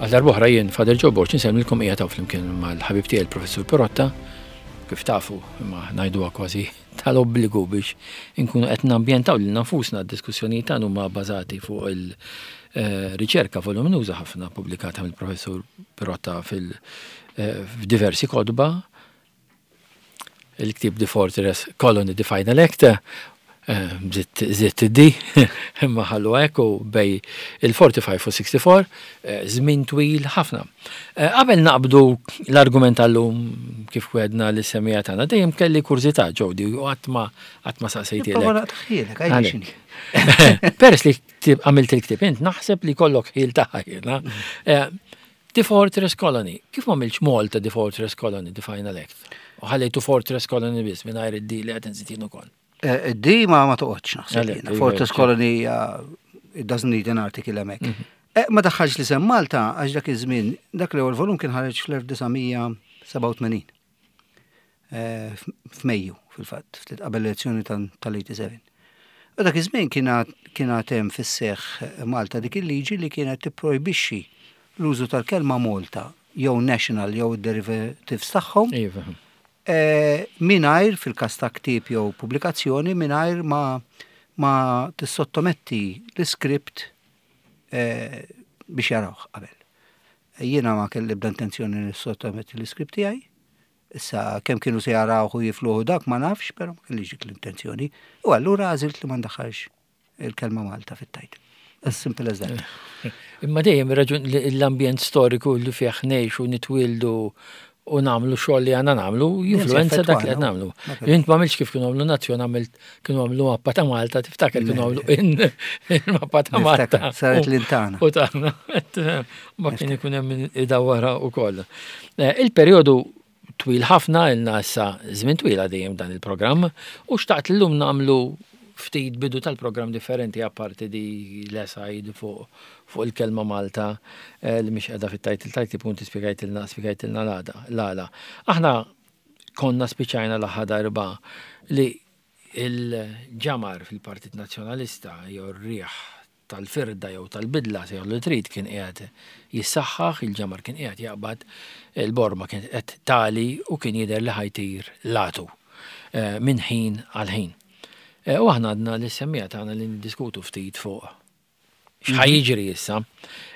Għal darb'oħra jien Father Joe Borg insellmilkom qiegħed hawn flimkien mal-ħabib tiegħi l-Professur Pirotta, kif tafu imma ngħiduha kważi tal-obbligu biex inkunu qed nambjentaw lilna nfusna d-diskussjonijiet tagħna huma bbażati fuq il-riċerka voluminuża ħafna pubblikata mill-Professur Pirotta fil-diversi kotba il-ktieb The Fortress Colony The Final Act, żidt id-D, imma ħallu hekk u bej il-45 u 64, żmien twil ħafna. Qabel naqbdu l-argument tal-lum kif wedna li semija tagħna, dejjem kelli kurżità Jody u qatt ma qatt ma saqsejtielek. Peress li għamilt il-ktieb int naħseb li kollok ħil ta' ħajna. The Fortress Colony. Kif ma għamiltx Malta The Fortress Colony, The Final Act? U ħallejtu Fortress Colony biss mingħajr id-D li qed inżid jien ukoll. Eh, D ma ma toqgħodx naħseb. Iva, Fortress Colony it doesn't need an article hemmhekk. Mhm. Eh, ma daħħalx li sem Malta għax dak iż-żmien, dak l-ewwel volum kien ħareġ fl-1987. Eh, f'Mejju fil-fatt, ftit qabel l-elezzjoni tal-87. U dak iż-żmien kien għad hemm fis-seħħ Malta dik il-liġi li kienet tipprojbixxi l-użu tal-kelma Malta jew national jew id-derivatives tagħhom. Iva. Eh, mingħajr fil-każ ta' ktieb jew pubblikazzjoni mingħajr ma ma tissottometti l-iskript eh, biex jarawh qabel. Jiena ma kelli ebda intenzjoni nissottometti l-iskript tiegħi. Issa kemm kienu se jarawh u jifluh dak ma nafx, però ma kellix dik l-intenzjoni. U allura għażilt li ma ndaħħalx il-kelma Malta fit-title. As simple as that. Imma dejjem raġun l-ambjent storiku li fih ngħixu nitwieldu u nagħmlu xogħol li għandna nagħmlu jinfluenza dak li qed nagħmlu. Int ma għamilx kif kienu għamlu nazzjon għamilt kienu għamlu mappa ta' Malta, tiftakar kienu għamlu il-mappa ta' Malta. Saret l-intana. U tagħna. Ma kien ikun hemm idawwara wkoll. Eh, il-perjodu twil ħafna ilna issa żmien twil għaddejjem dan il-programm u xtaqt llum nagħmlu ftit bidu tal-programm differenti apparti di l-aside fuq fuq il-kelma Malta eh, li mhix qiegħda fit-title title punti spjegajtilna spjegajtilna l-għala. Aħna konna spiċajna l-aħħar darba li il-ġamar fil-Partit Nazzjonalista jew r-riħ tal-firda jew tal-bidla sejħlu li trid kien qiegħed jissaħħaħ, il-ġamar kien qiegħed jaqbad, il-borma kienet qed tali u kien jidher li ħajtir latu eh, minn ħin għal ħin. Eh, u aħna għadna li semmija tagħna li niddiskutu ftit fuq x'ħa mhm. jiġri issa.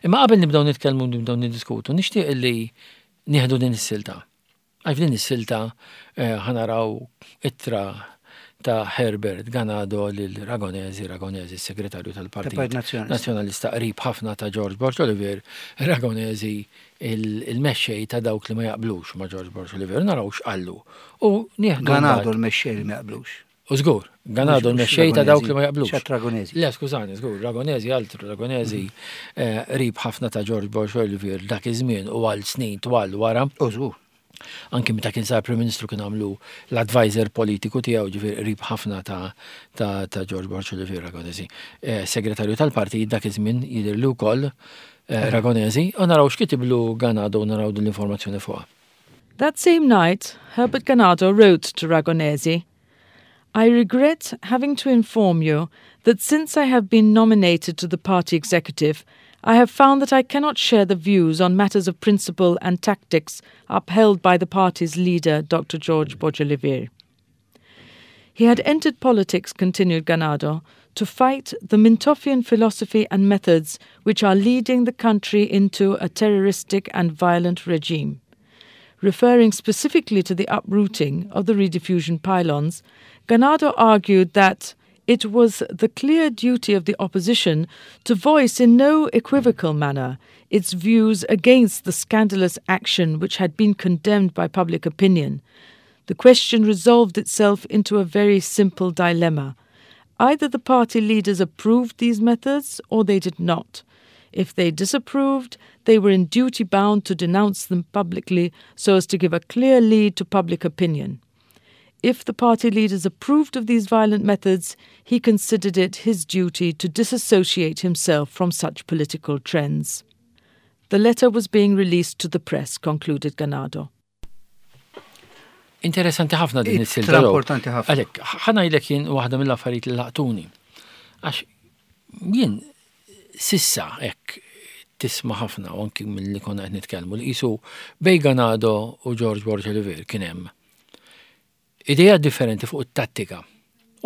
Imma qabel nibdew nitkellmu nibdew niddiskutu, nixtieq li nieħdu din is-silta. Għax f'din is-silta eh, ħa naraw ittra ta' Herbert Ganado lil Ragonesi, Ragonesi s-segretarju tal-Partit Nazzjonalista qrib ħafna ta' George Borg Olivier, Ragonesi il-mexxej ta' dawk li ma jaqblux ma' George Borg Olivier, naraw x'qallu. U nieħdu. Ganado l-mexxej li ma jaqblux. U żgur, Ganado l-mexxej ta' dawk li ma jaqblux. Ċat Ragonesi. Le, skużani, żgur, Ragonesi altru, Ragonesi eh, qrib ħafna ta' George Borg Olivier dak iż-żmien u għal snin twal wara. U żgur. Anki meta kien sar Prim Ministru kien għamlu l-advisor politiku tiegħu ġifier qrib ħafna ta' ta' ta' George Borg Olivier Ragonesi. Eh, segretarju tal-partit dak iż-żmien jidher li wkoll eh, Ragonesi u naraw x'kitiblu Ganado u naraw din l-informazzjoni fuqha. That same night, Herbert Ganado wrote to Ragonesi, I regret having to inform you that since I have been nominated to the party executive, I have found that I cannot share the views on matters of principle and tactics upheld by the party's leader, Dr. George Borg Olivier. He had entered politics, continued Ganado, to fight the Mintofian philosophy and methods which are leading the country into a terroristic and violent regime. Referring specifically to the uprooting of the rediffusion pylons, Ganado argued that it was the clear duty of the opposition to voice in no equivocal manner its views against the scandalous action which had been condemned by public opinion. The question resolved itself into a very simple dilemma. Either the party leaders approved these methods or they did not. If they disapproved, they were in duty bound to denounce them publicly so as to give a clear lead to public opinion. If the party leaders approved of these violent methods, he considered it his duty to disassociate himself from such political trends. The letter was being released to the press, concluded Ganado. Interessanti ħafna din is-silta. Importanti ħafna. Għalhekk, ħanajlek jien waħda mill-affarijiet li laqtuni. Għax jien sissa hekk. tisma' ħafna u anki milli konna qed nitkellmu li qisu bejn Ganado u George Borg Olivier kien hemm ideat differenti fuq it-tattika.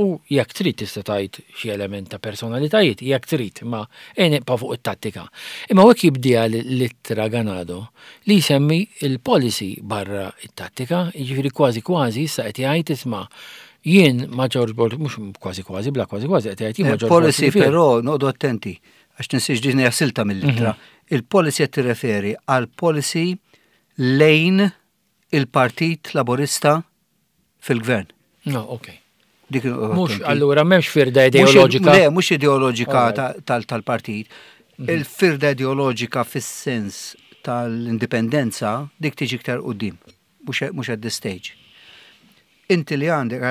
U jekk trid tista' tgħid xi element ta' personalitajiet, jekk trid, imma ejja nibqa' fuq it-tattika. Imma hekk jibdiha l-ittra Ganado li jsemmi il-policy barra it-tattika, jiġifieri kważi kważi issa qed jgħid isma' jien ma' George Borg, mhux kważi kważi, bla kważi kważi qed jgħid jien ma' George Borg. Policy però noqogħdu attenti għax tinsiex din hija silta mill-ittra. Il-policy qed tirreferi għal policy lejn il-Partit Laburista fil-gvern. No, ok. Dik Mhux allura m'hemmx firda ideoloġika. Le, mhux ideoloġika tal-partit. Il-firda ideoloġika fis-sens tal-indipendenza dik tiġi iktar quddiem, mhux at this stage. Inti li għandek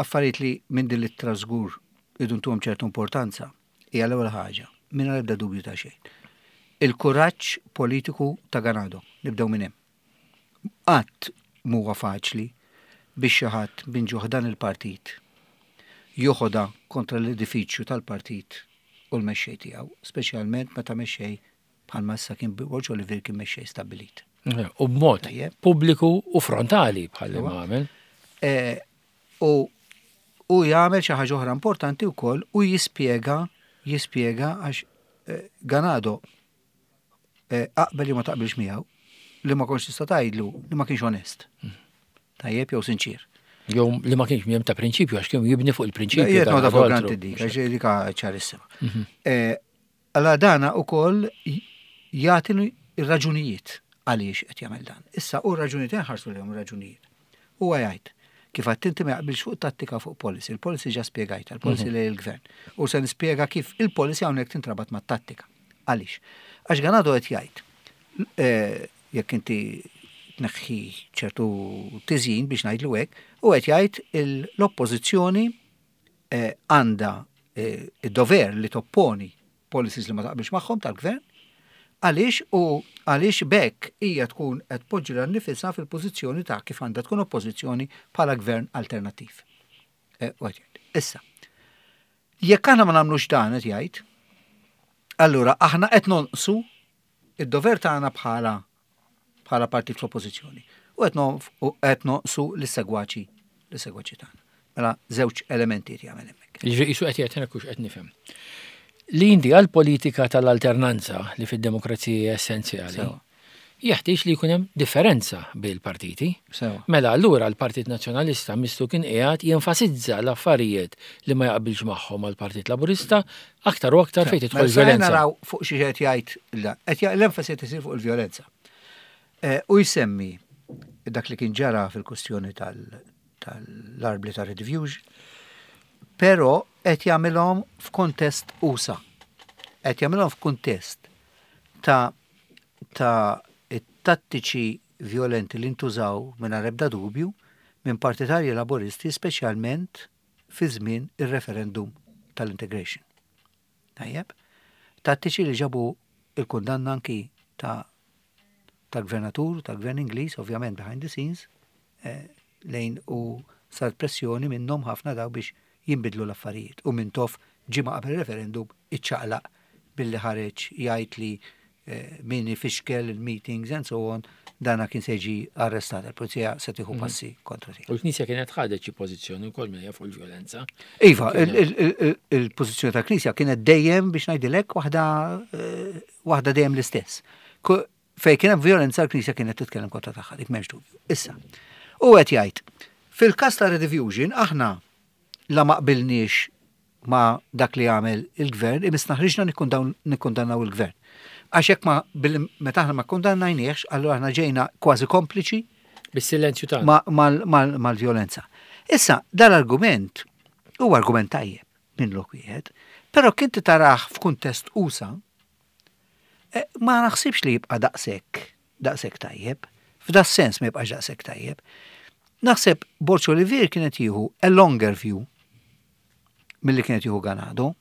affarijiet li minn din l-ittra żgur idu ntuhom ċertu importanza, hija l-ewwel ħaġa, mingħajr ebda dubju ta' xejn. Il-kuraġġ politiku ta' Ganado, nibdew minn hemm. Qatt m'huwa faċli biex xi ħadd minn ġo ħdan il-partit joħodha kontra l-edifiċju tal-partit u l-mexxej tiegħu, speċjalment meta mexxej bħalma issa kien Borg Olivier kien mexxej stabbilit. U b'mod pubbliku u frontali bħal ma għamel. U u jagħmel xi ħaġa oħra importanti wkoll u jispjega jispjega għax Ganado aqbel li ma taqbilx miegħu li ma kontx tista' tgħidlu li ma kienx onest. Tajjeb jew sinċier. Jew li ma kienx mjem ta' prinċipju għax kienu jibni fuq il-prinċipju. Jien noda fuq granted dik, għax dik ċarissima. Alla dana ukoll jagħti r-raġunijiet għaliex qed jagħmel dan. Issa u r-raġunijiet inħarsu lejhom ir-raġunijiet. Huwa jgħid kif għedt inti ma jaqbilx fuq tattika fuq policy. Il-policy ġa spjegajtha, il-policy lejn il-gvern. U se nispjega kif il-policy hawnhekk tintrabat mat-tattika. Għaliex? Għax Ganado qed jgħid jekk inti tneħħi ċertu tiżjin biex ngħidlu hekk, u qed jgħid l-oppożizzjoni għandha id-dover li topponi policies li ma taqbilx magħhom tal-gvern, għaliex u għaliex b'hekk hija tkun qed tpoġġi lilha nnifisha fil-pożizzjoni ta' kif għandha tkun oppożizzjoni bħala gvern alternattiv. Issa, jekk aħna ma nagħmlux dan qed jgħid, allura aħna qed nonqsu id-dover tagħna bħala bħala partit fl-oppożizzjoni u qed nonqsu lis-segwaċi lis-segwaċi tagħna. Mela żewġ elementi qed jagħmel hemmhekk. Jiġifieri qisu qed jgħid hekk hux qed nifhem. Li inti għall-politika tal-alternanza li fid-demokrazija hija essenzjali. Jeħtieġ li jkun hemm differenza bejn il-partiti. Mela allura l-Partit Nazzjonalista missu kien qiegħed jenfasizza l-affarijiet li ma jaqbilx magħhom mal-Partit Laburista aktar u aktar fejn tidħol il-vjolenza. Mela naraw fuq xi qed jgħid l-enfasi qed isir fuq il-vjolenza. U jsemmi dak li kien ġara fil-kwestjoni tal-arbli ta' Rediffusion, però qed jagħmilhom f'kontest usa. Qed jagħmilhom f'kuntest ta' ta' it-tattiċi vjolenti li ntużaw mingħajr ebda dubju minn partitarji Laburisti speċjalment fi żmien ir-referendum tal-integration. Tajjeb? Tattiċi li ġabu il-kundanna anki ta' tal-gvernatur, tal-gvern Ingliż, ovvjament behind the scenes, eh, lejn u saret pressjoni minnhom ħafna daw biex jinbidlu l-affarijiet. U Mintoff ġimgħa qabel referendum iċċaqlaq billi ħareġ jgħid li eh, min ifixkel il-meetings and so on, dana kien se jiġi arrestat, il-pulizija se tieħu mhm. passi kontra tiegħu. U l-Knisja kienet ħadet xi pożizzjoni wkoll minn fuq il-vjolenza. Iva, il-pożizzjoni tal-Knisja kienet dejjem biex ngħidilek waħda eh, waħda dejjem l-istess. Fejn kien hemm vjolenza l-Knisja kienet titkellem kontra tagħha, dik m'hemmx dubju. Issa, u qed jgħid, fil-każ ta' Rediffusion aħna la ma qbilniex ma' dak li għamel il-gvern, imissna ħriġna nikkundannaw il-gvern. Għax jekk ma meta aħna ma kkundannajniehx, allura aħna ġejna kważi kompliċi bis-silenzju tagħna mal-vjolenza. Issa, dal-argument huwa argument tajjeb minn lok wieħed, però kien tarah f'kuntest usa, eh, ma naħsibx li jibqa' daqshekk daqshekk tajjeb. F'da sens ma jibqax daqshekk tajjeb. Naħseb Borg Olivier kienet jieħu a longer view milli kienet jieħu Ganado.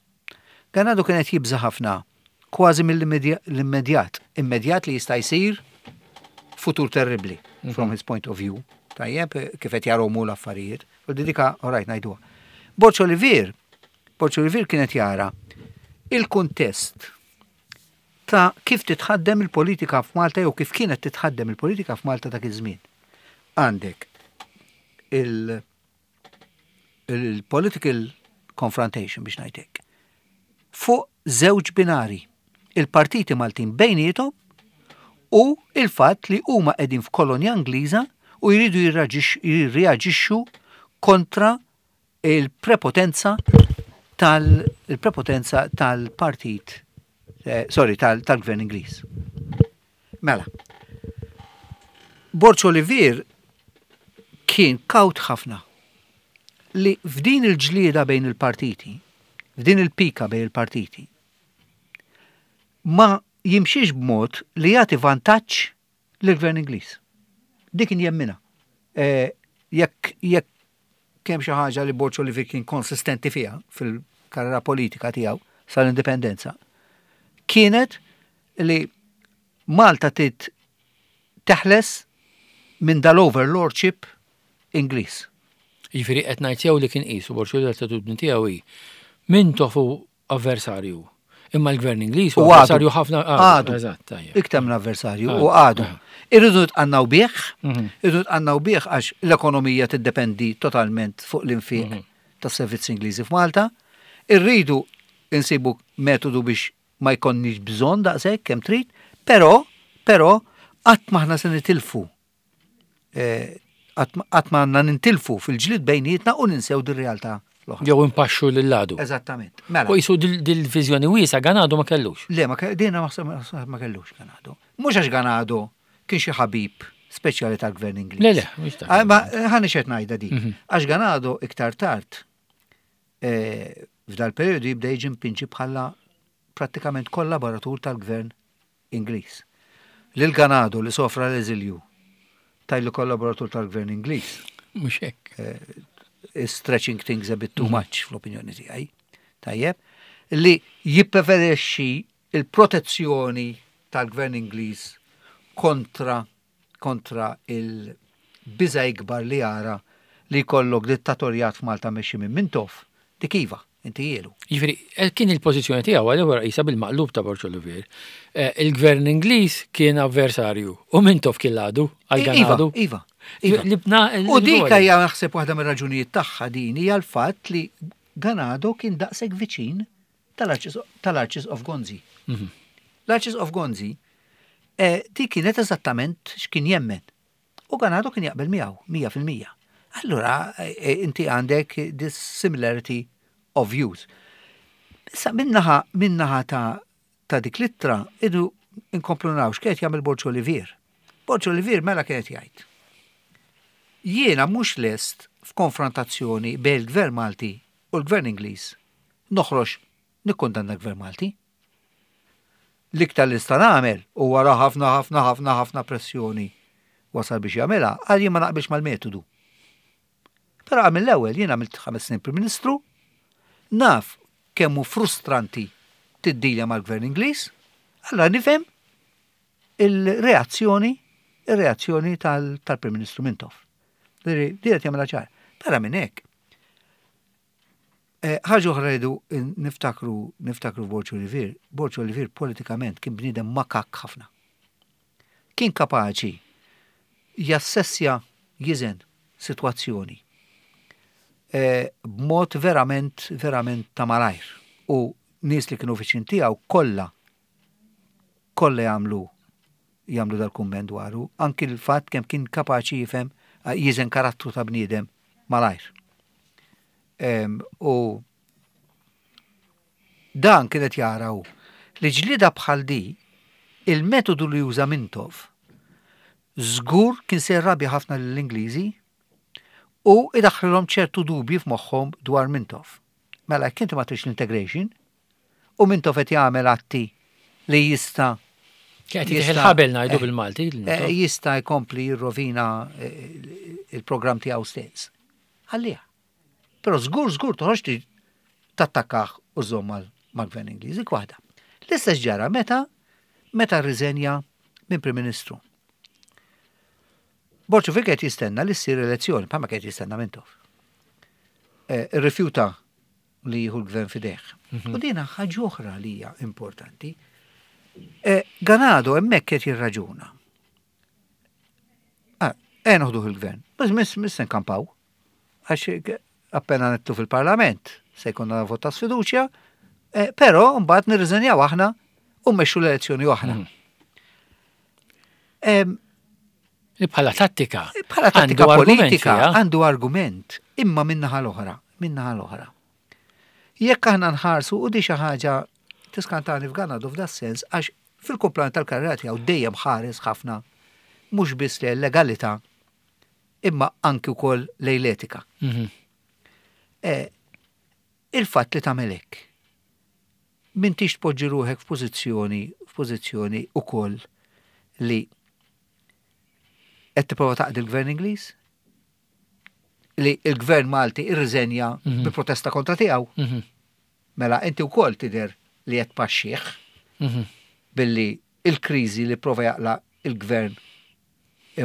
Ganado kienet jibża ħafna kważi mill-immedjat, immedjat li jista' jsir futur terribli mhm. from his point of view. Tajjeb, kif qed jaromu l-affarijiet. U dika, all right, ngħiduha. Borg Olivier, Borg Olivier kienet jara il-kuntest ta' kif titħaddem il-politika f'Malta jew kif kienet titħaddem il-politika f'Malta dak iż-żmien. Għandek il- il-political confrontation biex ngħid hekk. Fuq żewġ binari, il-partiti Maltin bejniethom u il-fatt li huma qegħdin f'kolonja Ingliża u jridu jirreaġixxu kontra il-prepotenza tal-prepotenza tal-partit eh, sorry, tal-gvern Ingliż. Mela, Borg Olivier kien kawt ħafna li f'din il-ġlieda bejn il-partiti, f'din il-pika bejn il-partiti, ma jimxiex b'mod li jagħti vantaġġ lill-Gvern Ingliż. Dik kien jemminha. Eh, jekk jekk kemm xi ħaġa li Borg Olivier kien konsistenti fiha fil-karriera politika tiegħu sal-indipendenza, kienet li Malta trid teħles minn dal-overlordship Ingliż. Jiġifieri qed ngħid sew li kien qisu Borg Olivier l-attitudni tiegħu hi Mintoff hu avversarju. Imma l-gvern Ingliż hu avversarju ħafna għadu. Eżatt, tajjeb. Iktar minn avversarju u għadu. Irridu nitqannaw bih, mhm. irridu nitqannaw bih għax l-ekonomija tiddependi totalment fuq l-infiq mhm. tas-servizzi Ingliżi f'Malta. Irridu insibu metodu biex ma jkollniex bżonn daqshekk kemm trid, però, però qatt m'aħna se nitilfu eh, qatt ma għandna nintilfu fil-ġlied bejnietna u ninsew dir-realtà l-oħra. Jew impaxxu lil għadu. Eżattament. Mela. U jisu dil-viżjoni wiesa Ganado ma kellux. Le, ma dina ma kellux Ganado. Mhux għax Ganado kien xi ħabib speċjali tal-gvern Ingliż. Le, le, mhux ta' ah, Ma ħani xed ngħidha di. Mhm. Għax Ganado iktar tard eh, f'dal periodu jibda jiġi mpinġi bħala prattikament kollaboratur tal-gvern Ingliż. Lil Ganado li sofra l-eżilju tgħidlu kollaboratur tal-gvern Ingliż. Mhux hekk. Eh, is stretching things a bit too mhm. much fl-opinjoni tiegħi. Tajjeb, li jippreferixxi il-protezzjoni tal-gvern Ingliż kontra kontra il-biża' ikbar li jara li jkollok dittatorjat f'Malta mmexxi minn Mintoff, dik iva, intihielu. Jiġifieri, eh, kien il-pożizzjoni tiegħu għal qisha bil-maqlub ta' Borg Olivier. Eh, il-gvern Ingliż kien avversarju u Mintoff kien l-għadu għal Ganadu. Iva, iva. Libna U dik hija naħseb waħda mir-raġunijiet tagħha din hija l-fatt li Ganado kien daqshekk viċin tal-Arċisqof Gonzi. Mhm. L-Arċisqof Gonzi eh, di kienet eżattament x'kien jemmen. U Ganado kien jaqbel miegħu 100%. Allura eh, eh, inti għandek this similarity of views. Issa minnaħa minnaħa ta' ta' dik l-ittra idu inkomplu naraw x'kienet jagħmel Borġ Olivier. Borġ Olivier mela kienet jgħid. Jiena mhux lest f'konfrontazzjoni bejn il-Gvern Malti u l-Gvern Ingliż noħroġ nikkundanna l-Gvern Malti. L-iktar li nista' nagħmel u wara ħafna ħafna ħafna ħafna pressjoni wasal biex jagħmilha, qal jien ma naqbilx mal-metodu. Però qal mill-ewwel jien għamilt ħames snin Prim Ministru, naf kemm hu frustranti tiddilja mal-Gvern Ingliż, allura nifhem il-reazzjoni ir-reazzjoni tal-Prim Ministru Mintoff. Di qed jagħmilha ċar. Barra minn hekk, Eh, ħaġa oħra rridu niftakru niftakru Borġ Olivier. Borġ Olivier politikament kien bniedem makak ħafna. Kien kapaċi jassessja jiżen sitwazzjoni eh, b'mod verament verament ta' malajr u nies li kienu viċin tiegħu kollha kollha jagħmlu jagħmlu dal-kumment dwaru, anki l-fatt kemm kien kapaċi jifhem jiżen karattru ta' bniedem malajr. U dan kienet jara hu li ġlieda bħal di il-metodu li juża Mintoff żgur kien se jrabja ħafna lill-Ingliżi u idaħħlilhom ċertu dubji f'moħħhom dwar Mintoff. Mela jekk inti ma tridx l-integration, U Mintoff qed jagħmel atti li jista' Kien qed il-ħabel ngħidu eh, bil-Malti. Eh, jista' jkompli jirrovina eh, il-programm tiegħu stess. Ħalliha. Però żgur żgur toħroġ tattakkah u żomm mal-gvern Ingliż. Dik waħda. L-istess ġara meta meta rriżenja minn Prim Ministru. Borg qed jistenna li ssir elezzjoni, bħalma qed jistenna Mintoff. Irrifjuta li jieħu l-gvern f'idejh. Mhm. U dina ħaġa oħra li hija importanti. Eh, Ganado hemmhekk qed jirraġuna. Ah, eh noħduh il-gvern. Mhux miss nkampaw. Għax appena nittu fil-parlament se jkollna vot ta' sfiduċja, eh, però mbagħad nirriżenjaw aħna u mmexxu l-elezzjoni oħra. Li bħala tattika. Bħala tattika politika għandu argument imma minnaħa l-oħra, minnaħa l-oħra. Jekk aħna nħarsu u di xi ħaġa tiskantani f'Ganadu f'da sens għax fil-kumplament tal-karriera tiegħu dejjem ħares ħafna mhux biss lejn legalità imma anki wkoll lejn l-etika. Eh, il-fatt li tagħmel hekk m'intix tpoġġi ruħek f'pożizzjoni f'pożizzjoni ukoll li qed tipprova taqdi l-Gvern Ingliż? Li l-Gvern Malti irriżenja bi protesta kontra tiegħu. Mela inti wkoll tidher li qed tpaxxih billi il-kriżi li prova jaqla il-Gvern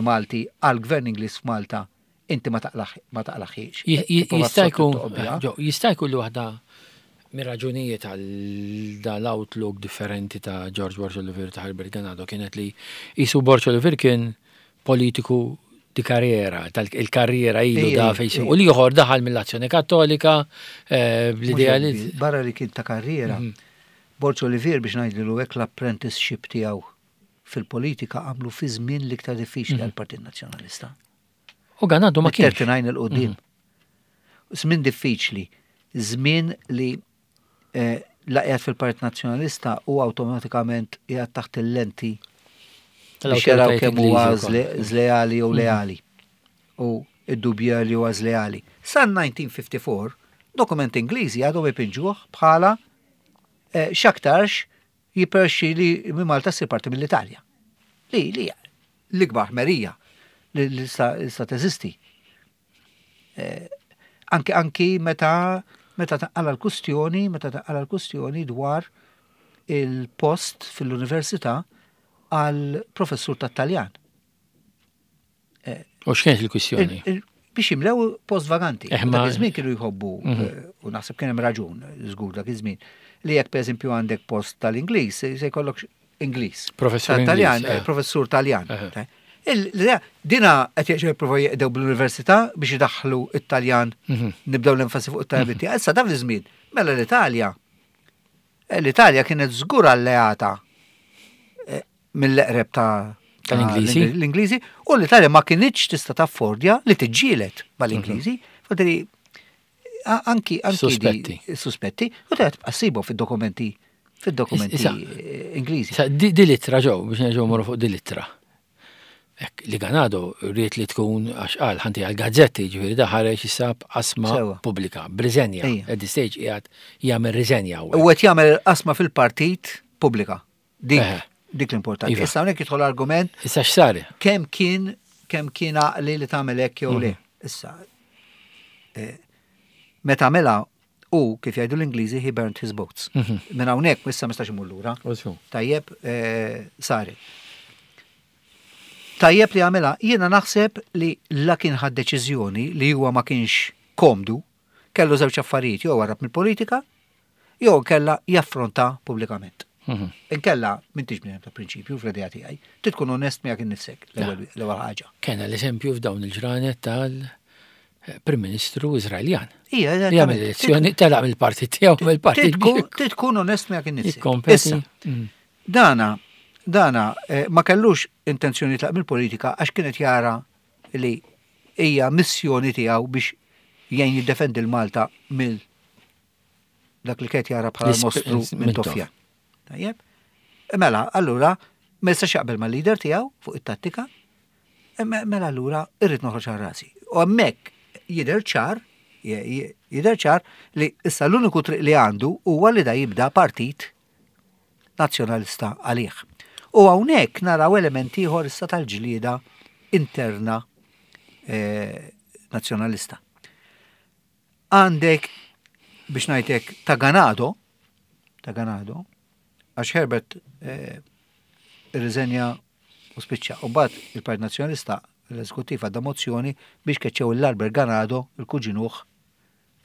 Malti għal-Gvern Ingliż f'Malta inti ma taqlaħiex. Jista' jkun jista' jkun li waħda mir-raġunijiet għal dal-outlook differenti ta' George Borg Olivier ta' Herbert Ganado kienet li jisu Borg Olivier kien politiku di karriera, tal-karriera ilu da fejn u li ieħor daħal mill-Azzjoni Kattolika eh, bl-idea li. Barra li kien ta' karriera, Borg Olivier biex ngħidlu hekk l-apprenticeship tiegħu fil-politika għamlu fi żmien l-iktar diffiċli għall-Partit Nazzjonalista. U Ganado ma kienx. 39 il-qudiem. Żmien diffiċli, żmien li eh, la qiegħed fil-Partit Nazzjonalista u awtomatikament qiegħed taħt il-lenti biex jaraw kemm huwa żleali jew leali. U id-dubja li huwa żleali. Sa 1954, dokument Ingliżi għadhom ipinġuh bħala eh, x'aktarx jipperxi li minn Malta ssir parti mill-Italja. Li li l-ikbar ħmerija li li sta teżisti. Eh, anki anki meta meta taqala l-kustjoni, meta taqala l-kustjoni dwar il-post fil-università għal professur tat-Taljan. Eh, U x'kienet il-kwistjoni? Biex jimlew post vaganti. Eh, dak iż-żmien kienu jħobbu, mhm. eh, u naħseb kien hemm raġun, żgur dak iż-żmien, li jekk pereżempju għandek post tal-Ingliż, se jkollok Ingliż. Professur Taljan, professur Taljan. Dina qed jerġgħu jippruvaw jeqdew bl-università biex idaħħlu it-Taljan, mhm. nibdew l-enfasi fuq it-Taljan. Mhm. Issa dan iż-żmien, mela l-Italja. L-Italja kienet żgur alleata mill-eqreb ta' tal-Ingliżi. L-Ingliżi u l-Italja ma kinitx tista' taffordja li tiġġieled mal-Ingliżi. Mhm. Fadri anki anki suspetti. Suspetti u ta' tibqa' ssibu fid-dokumenti fid-dokumenti Ingliżi. Di littra ġew biex nerġgħu morru fuq di littra. Li Ganado rrit li tkun għax qal ħanti għal gazzetti ġifieri da ħareġ issa b'qasma pubblika, b'riżenja. At this stage qiegħed jagħmel riżenja. U qed jagħmel qasma fil-partit pubblika. Dik, dik l-importanti. Iva. Issa hawnhekk jidħol argument. Issa x'sar? Kemm kien kemm kien għaqli li tagħmel hekk jew le. Mhm. Issa eh, meta għamilha u kif jgħidu l-Ingliżi he burnt his boats. Mhm. Minn hawnhekk issa ma stax imur lura. Tajjeb eh, sari. Tajjeb li għamilha, jiena naħseb li la kien ħad deċiżjoni li huwa ma kienx komdu, kellu żewġ affarijiet jew warrab mill-politika, jew inkella jaffronta pubblikament. Mhm. Inkella m'intix bniedem ta' prinċipju fl-idea tiegħi, trid tkun onest miegħek innifsek l-ewwel ħaġa. Kena l-eżempju f'dawn il-ġranet tal-Prim Ministru Iżraeljan. Ija, Jagħmel elezzjoni telaq mill-partit tiegħu mill-partit. Trid tkun onest miegħek innifsek. Issa, mm. dana, dana eh, ma kellux intenzjoni tlaq mill-politika għax kienet jara li hija missjoni tiegħu biex jgħin jiddefendi l-Malta mill dak li kien jara bħala mostru minn Tofja. Tajjeb? Mela, allura, ma jistax jaqbel mal-leader tiegħu fuq it-tattika, mela allura irrid noħroġ għal rasi. U hemmhekk jidher ċar, jidher ċar li issa l-uniku triq li għandu huwa li da jibda partit nazzjonalista għalih. U hawnhekk naraw element ieħor issa tal-ġlieda interna eh, nazzjonalista. Għandek, biex ngħidlek, ta' Ganado, ta' Ganado, għax Herbert eh, irriżenja u spiċċa. U mbagħad il-Partit Nazzjonalista l-eżekuttiv għadda mozzjoni biex keċċew l-Albert Ganado, il-kuġinuh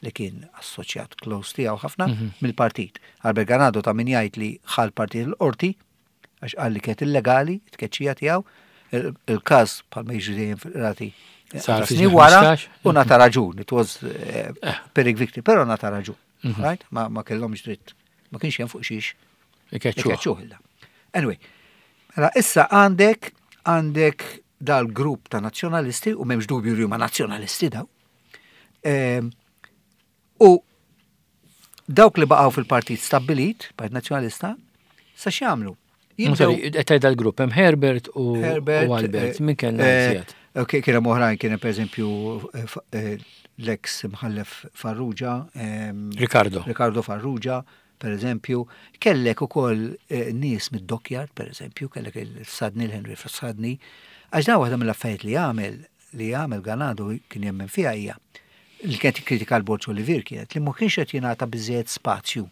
li kien assoċjat close tiegħu ħafna mhm. mill-partit. Albert Ganado ta' min jgħid li ħal partit l-qorti. Għax qal li kienet illegali t-tkeċċija tiegħu, il-każ bħalma jiġri dejjem fil-qrati Sar fi wara u nata raġun, it was eh, eh. Pyrrhic victory, però nata raġun. Mhm. Right? Ma, ma kellhomx dritt. Ma kienx hemm fuq xiex. Ikeċċuh. Anyway, mela issa għandek għandek dal-grupp ta' nazzjonalisti u m'hemmx dubju li huma nazzjonalisti daw. Ehm, u dawk li baqgħu fil-partit stabbilit, Partit Nazzjonalista, sa x'jagħmlu? Qed tgħid dal-grupp hemm Herbert u Albert, eh, min kellna eh, iżjed? Kien hemm oħrajn kien hemm pereżempju eh, l-eks mħallef Farrugia. Ehm, Ricardo. Ricardo Farrugia, per eżempju, kellek ukoll nies mid-dockyard, per eżempju, kellek il-Sadni, l-Henry Sadni, għax dan waħda mill-affarijiet li għamel li għamel Ganado kien jemmen fiha hija li kienet jikkritika l-Borg Olivier kienet li ma kienx qed jingħata biżżejjed spazju.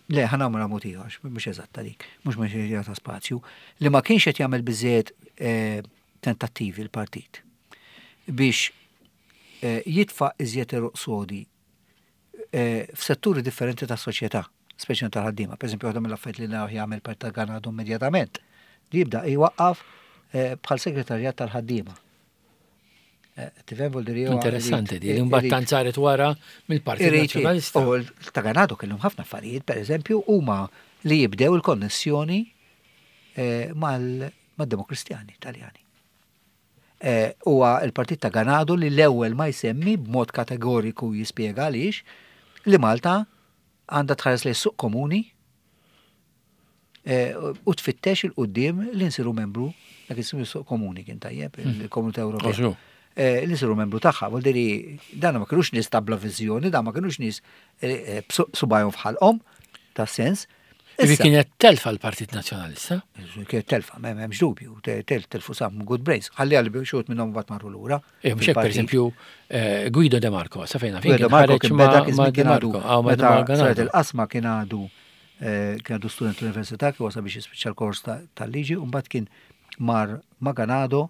Le, ħa nagħmilha mod ieħor, mhux eżatta dik, mhux ma kienx jingħata spazju, li ma kienx qed jagħmel biżżejjed eh, tentattivi l-partit biex eh, jitfa' iżjed eruq sodi eh, f'setturi differenti tas-soċjetà, speċjalment tal-ħaddiema. Per eżempju, waħda mill-affarijiet li naraw jagħmel partit ta' Ganado immedjatament, li jibda jwaqqaf eh, bħal segretarjat tal-ħaddiema. Eh, tifhem vuol dire Interessanti di, li mbagħad tant saret wara mill-Partit Nazzjonalista. U ta' Ganado kellhom ħafna affarijiet, per eżempju, huma li jibdew il-konnessjoni mal-Demokristjani Taljani. Eh, huwa l-partit ta' Ganado li l-ewwel ma jsemmi b'mod kategoriku jispjega għaliex li Malta għandha tħares lejn suq komuni eh, u tfittex il-qudiem li nsiru membru dak ismu suq komuni kien tajjeb hmm. il-Komunità Ewropea. Eh, li nsiru membru tagħha, vuol dire dan ma kinux nies ta' bla viżjoni, dan ma kinux nies subajhom f'ħalqhom ta' sens. Ivi kienet telfa l-Partit Nazzjonalista? Kienet telfa, m'hemmx dubju, telfu sam good brains. Ħalli għalli xut minnhom bat marru lura. Eh, mhux hekk pereżempju eh, Guido De Marco, sa fejna fejn. Guido De Marco kien beda kien għadu. Ah, meta saret il-qasma kien għadu eh, kien għadu student l-università kien wasal biex jispiċċa l-kors tal-liġi u mbagħad kien mar Maganado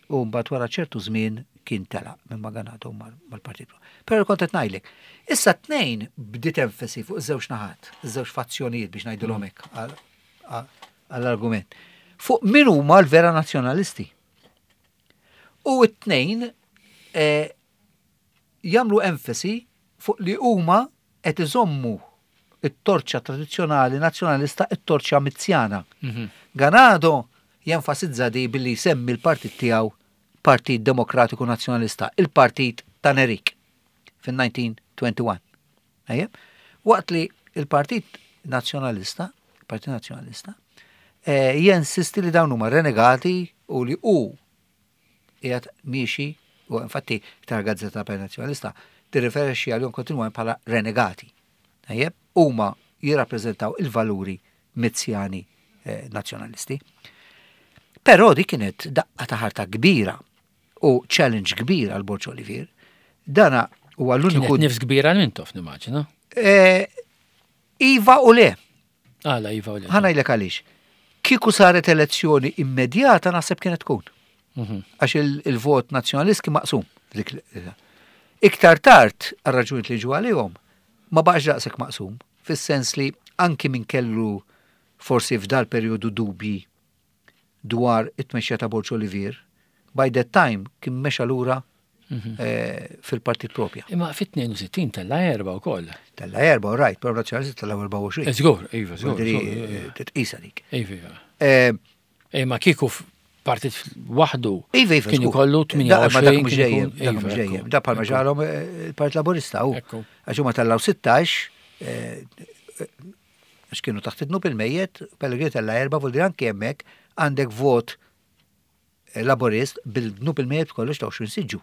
U mbagħad wara ċertu żmien kien telaq minn Maganado mal-Partit. Però kont qed ngħidlek, issa t-tnejn bdiet enfasi fuq iż-żewġ naħat, iż-żewġ fazzjonijiet biex ngħidilhom hekk għall-argument. Fuq min huma l-vera nazzjonalisti. U t-tnejn eh, jagħmlu enfasi fuq li huma qed iżommu it-torċa tradizzjonali nazzjonalista, it-torċa Mizzjana. Mhm. Ganado jenfasizza di billi jsemmi l-partit tiegħu Partit Demokratiku Nazzjonalista, il-partit ta' Nerik fin-1921. Waqt li il-Partit Nazzjonalista, Partit Nazzjonalista, eh, jensisti li dawn huma renegati u li hu qiegħed miexi u infatti tara gazzetta Partit Nazzjonalista tirriferixxi għalihom kontinwament bħala renegati. Tajjeb, huma jirrappreżentaw il-valuri Mizzjani eh, nazzjonalisti. Però di kienet daqqa ta' ħarta kbira u challenge kbir għal Borġ Olivier. Dana huwa l-uniku. Nifs kbira għal Mintoff nimmaġina. Eh, iva u le. Għala iva u le. Ħa ngħidlek għaliex. Kieku saret elezzjoni immedjata naħseb kienet tkun. Mhm. Għax il-vot nazzjonalist kien maqsum. Iktar tard, għal raġunijiet li ġu għalihom, ma baqax daqshekk maqsum, fis-sens li anki min kellu forsi f'dal perjodu dubji dwar it-tmexxija ta' Borg Olivier, by that time kien mexa lura mhm. eh, fil-partit propja. Imma fit-62 tella erba u koll. Tella erba, right, pero nazzjonalisti tella 24. Eh, żgur, iva, żgur. Eh, titqisa dik. Iva, iva. Imma kieku partit waħdu. Iva, iva. Kien ikollu 28. Ma dak mhux dejjem, dak mhux dejjem. Da bħalma ġarhom il-Partit Laburista u. Għax huma tellaw 16 għax kienu taħt id-dnub il-mejjet, Pellegrini tella erba' vuol dire anke hemmhekk għandek vot eh, laborist bil-dnub il-mejjet kollox ta' 20 siġġu.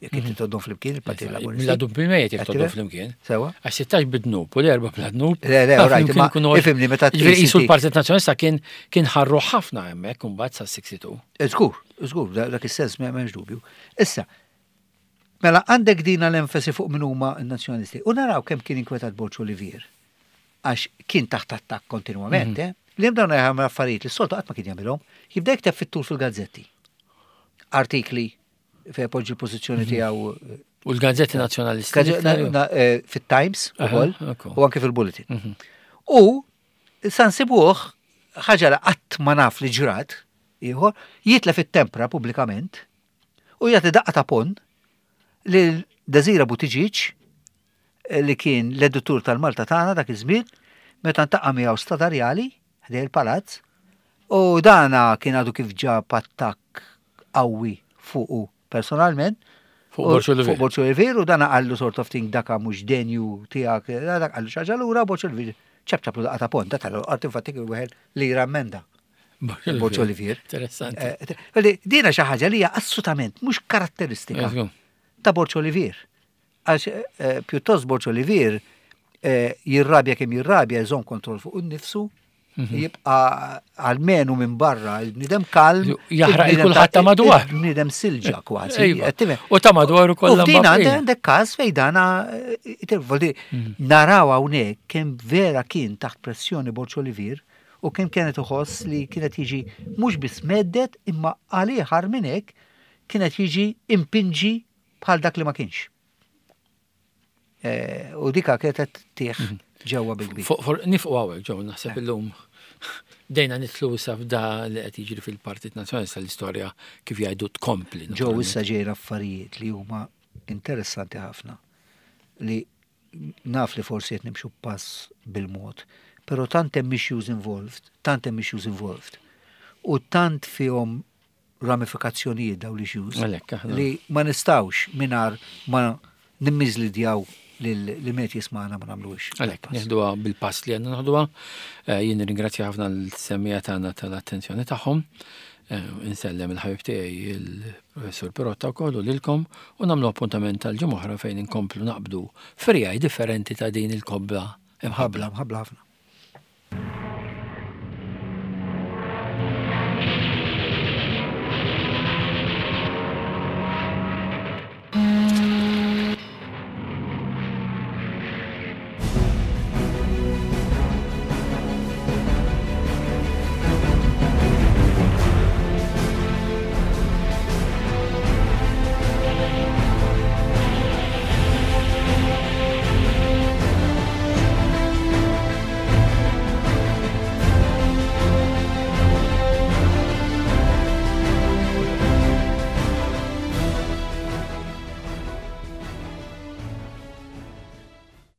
Jekk inti mhm. toddhom flimkien il-Partit Laburista. Mela dnub il-mejjet jekk toddhom flimkien. Sewa. Għax 16 bid-dnub u l-erba bla dnub. Le, le, rajt, ma ifimni meta Ġifieri l-Partit Nazzjonalista kien kien ħarru ħafna hemmhekk imbagħad sa 62. Eh, żgur, żgur, dak is-sens m'hemmx dubju. Issa, Mela għandek dina l-enfasi fuq min huma n-Nazzjonalisti. U naraw kemm kien inkwetat Borg Olivier għax kien taħt attakk kontinwament, mhm. eh? Li hemm dawn jagħmel affarijiet li s-soltu qatt ma kien jagħmilhom, jibda jikteb fit-tul fil-gazzetti. Artikli fejn poġġi l-pożizzjoni mhm. tiegħu. Eh, U l-gazzetti nazzjonalisti. Eh, fit-Times ukoll u anke fil-Bulletin. Mhm. U Sa nsibuh, ħaġa li qatt ma naf li ġrat, ieħor, jitlef it-tempra pubblikament u jagħti daqqa ta' pon lil Desira Buttigieg li kien l-editur tal-Malta tagħna dak iż-żmien meta ntaqa' miegħu Stadarjali ħdej il-palazz u dana kien għadu kif ġab attakk qawwi fuqu personalment. Fuq Borg Olivier. Fuq Borg Olivier u dana qallu sort of thing daka mhux denju tiegħek, dak qallu xi ħaġa lura Borg Olivier ċapċaplu daqqa ta' ponta tal-qorti infatti kien wieħed li rammenda. Borg Olivier. Interessanti. Eh, dina xi ħaġa li hija assolutament mhux karatteristika ta' Borg Olivier. Għax eh, pjuttost Borg Olivier eh, jirrabja kemm jirrabja jżomm kontroll fuq innifsu, mhm. jibqa għalmenu minn barra il-bnidem kalm. Jaħraq il-kulħadd ta' madwar. Il-bnidem silġa kważi. Iva. U ta' madwar ukoll. U f'din għandek każ fejn dana eh, mhm. naraw hawnhekk kemm vera kien taħt pressjoni Borg Olivier u kemm kienet uħoss li kienet jiġi mhux biss meddet imma għalih minn hekk kienet jiġi impinġi bħal dak li ma kienx. Eh, u dika kienet tieħ mhm. ġewwa bil-kbir. Nifqu hawnhekk ġew naħseb eh. illum dejna nitlu issa f'da li qed jiġri fil-Partit Nazzjonalista l-istorja kif jgħidu tkompli. Ġew issa ġejra affarijiet li huma interessanti ħafna li naf li forsi qed nimxu pass bil-mod, però tant hemm issues involved, tant hemm issues involved. U tant fihom ramifikazzjonijiet dawn l-issues li ma nistgħux mingħajr ma nimmiżlidjaw li met jismana ma nagħmluhiex. Għalhekk nieħduha bil-pass li għandna naħduha. Eh, jien nirringrazzja ħafna l-semmija tagħna tal-attenzjoni tagħhom. Eh, insellem il-ħabib tiegħi il-Professur Pirotta wkoll u lilkom u nagħmlu appuntament tal-ġimgħa oħra fejn inkomplu naqbdu frijaj differenti ta' din il-kobba imħabbla. Mħabbla ħafna.